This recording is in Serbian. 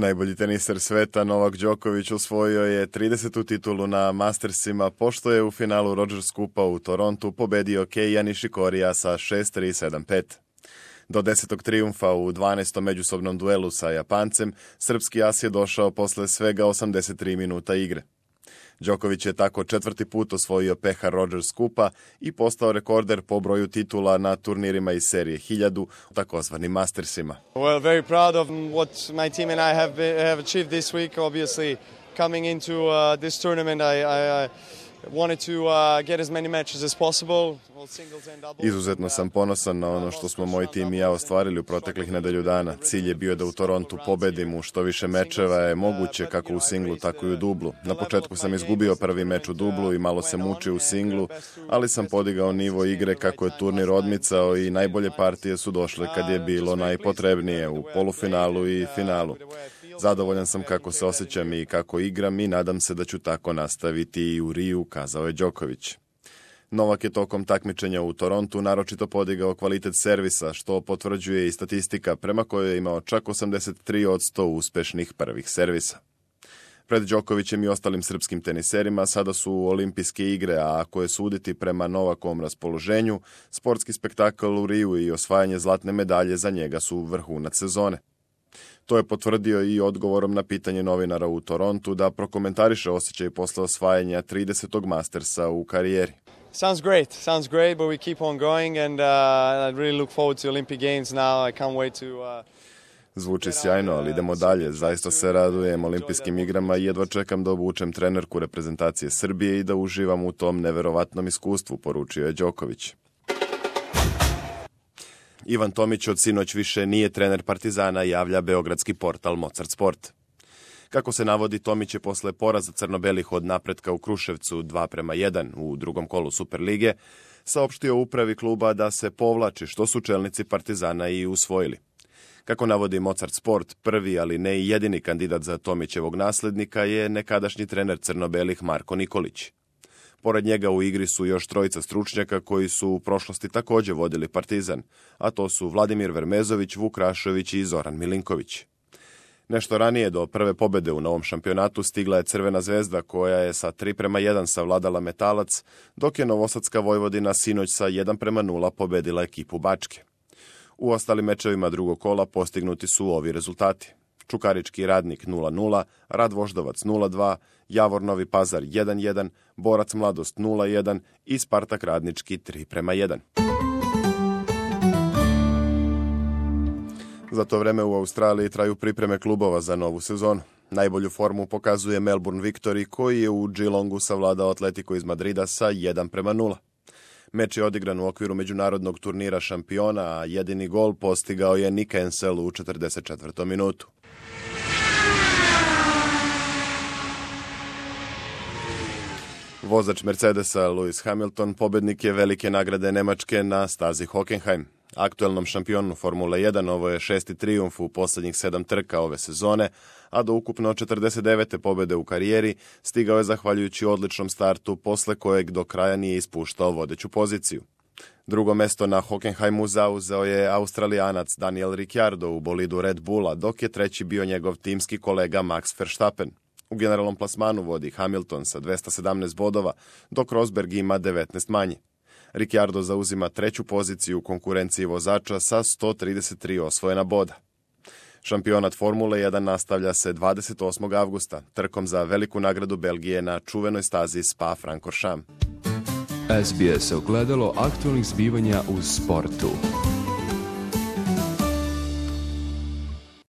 Najbolji teniser sveta Novak Đoković osvojio je 30. titulu na Mastersima, pošto je u finalu Rogers Cupa u Torontu pobedio Keija Nishikorija sa 6-3-7-5. Do 10. trijumfa u 12. međusobnom duelu sa Japancem, srpski as je došao posle svega 83 minuta igre. Đoković je tako 4. put osvojio pehar Rogers Cupa i postao rekorder po broju titula na turnirima iz serije 1000, takozvanim Mastersima. Well, very proud of what my team and I have achieved this week. Obviously, coming into this tournament, I wanted to get as many matches as possible. Izuzetno sam ponosan na ono što smo moj tim i ja ostvarili u proteklih nedelju dana. Cilj je bio da u Torontu pobedim u što više mečeva je moguće kako u singlu, tako i u dublu. Na početku sam izgubio prvi meč u dublu i malo se mučio u singlu, ali sam podigao nivo igre kako je turnir odmicao i najbolje partije su došle kad je bilo najpotrebnije u polufinalu i finalu. Zadovoljan sam kako se osjećam i kako igram i nadam se da ću tako nastaviti i u Riju, kazao je Đoković. Novak je tokom takmičenja u Torontu naročito podigao kvalitet servisa, što potvrđuje i statistika prema kojoj je imao čak 83% uspešnih prvih servisa. Pred Đokovićem i ostalim srpskim teniserima sada su olimpijske igre, a ako je suditi prema Novakovom raspoloženju, sportski spektakl u Riju i osvajanje zlatne medalje za njega su vrhunac sezone. To je potvrdio i odgovorom na pitanje novinara u Torontu da prokomentariše osjećaj posle osvajanja 30. Mastersa u karijeri. Sounds great, but we keep on going and I really look forward to Olympic Games now. I can't wait to... Zvuči sjajno, ali idemo dalje. Zaista se radujem olimpijskim igrama i jedva čekam da obučem trenerku reprezentacije Srbije i da uživam u tom neverovatnom iskustvu, poručio je Đoković. Ivan Tomić od sinoć više nije trener Partizana, javlja beogradski portal Mozart Sport. Kako se navodi, Tomić je posle poraza crno-belih od Napretka u Kruševcu 2-1 u drugom kolu Superlige saopštio upravi kluba da se povlači, što su čelnici Partizana i usvojili. Kako navodi Mozart Sport, prvi, ali ne i jedini kandidat za Tomićevog naslednika je nekadašnji trener crno-belih Marko Nikolić. Pored njega u igri su još trojica stručnjaka koji su u prošlosti također vodili Partizan, a to su Vladimir Vermezović, Vuk Rašović i Zoran Milinković. Nešto ranije do prve pobede u novom šampionatu stigla je Crvena zvezda koja je sa 3-1 savladala Metalac, dok je Novosadska Vojvodina sinoć sa 1-0 pobedila ekipu Bačke. U ostalim mečevima drugog kola postignuti su ovi rezultati. Čukarički Radnik 0-0, Rad Voždovac 0-2, Javor Novi Pazar 1-1, Borac Mladost 0-1 i Spartak Radnički 3-1. Za to vreme u Australiji traju pripreme klubova za novu sezonu. Najbolju formu pokazuje Melbourne Victory koji je u Geelongu savladao Atletico iz Madrida sa 1-0. Meč je odigran u okviru međunarodnog turnira šampiona, a jedini gol postigao je Nick Ensel u 44. minutu. Vozač Mercedesa Lewis Hamilton pobednik je velike nagrade Nemačke na stazi Hockenheim. Aktuelnom šampionu Formule 1 ovo je 6. trijumf u posljednjih 7 trka ove sezone, a do ukupno 49. pobede u karijeri stigao je zahvaljujući odličnom startu posle kojeg do kraja nije ispuštao vodeću poziciju. Drugo mesto na Hockenheimu zauzeo je Australijanac Daniel Ricciardo u bolidu Red Bulla, dok je treći bio njegov timski kolega Max Verstappen. U generalnom plasmanu vodi Hamilton sa 217 bodova, dok Rosberg ima 19 manje. Ricciardo zauzima treću poziciju u konkurenciji vozača sa 133 osvojena boda. Šampionat Formule 1 nastavlja se 28. avgusta, trkom za veliku nagradu Belgije na čuvenoj stazi Spa-Francorchamps. SBS ogledalo aktualnih zbivanja u sportu.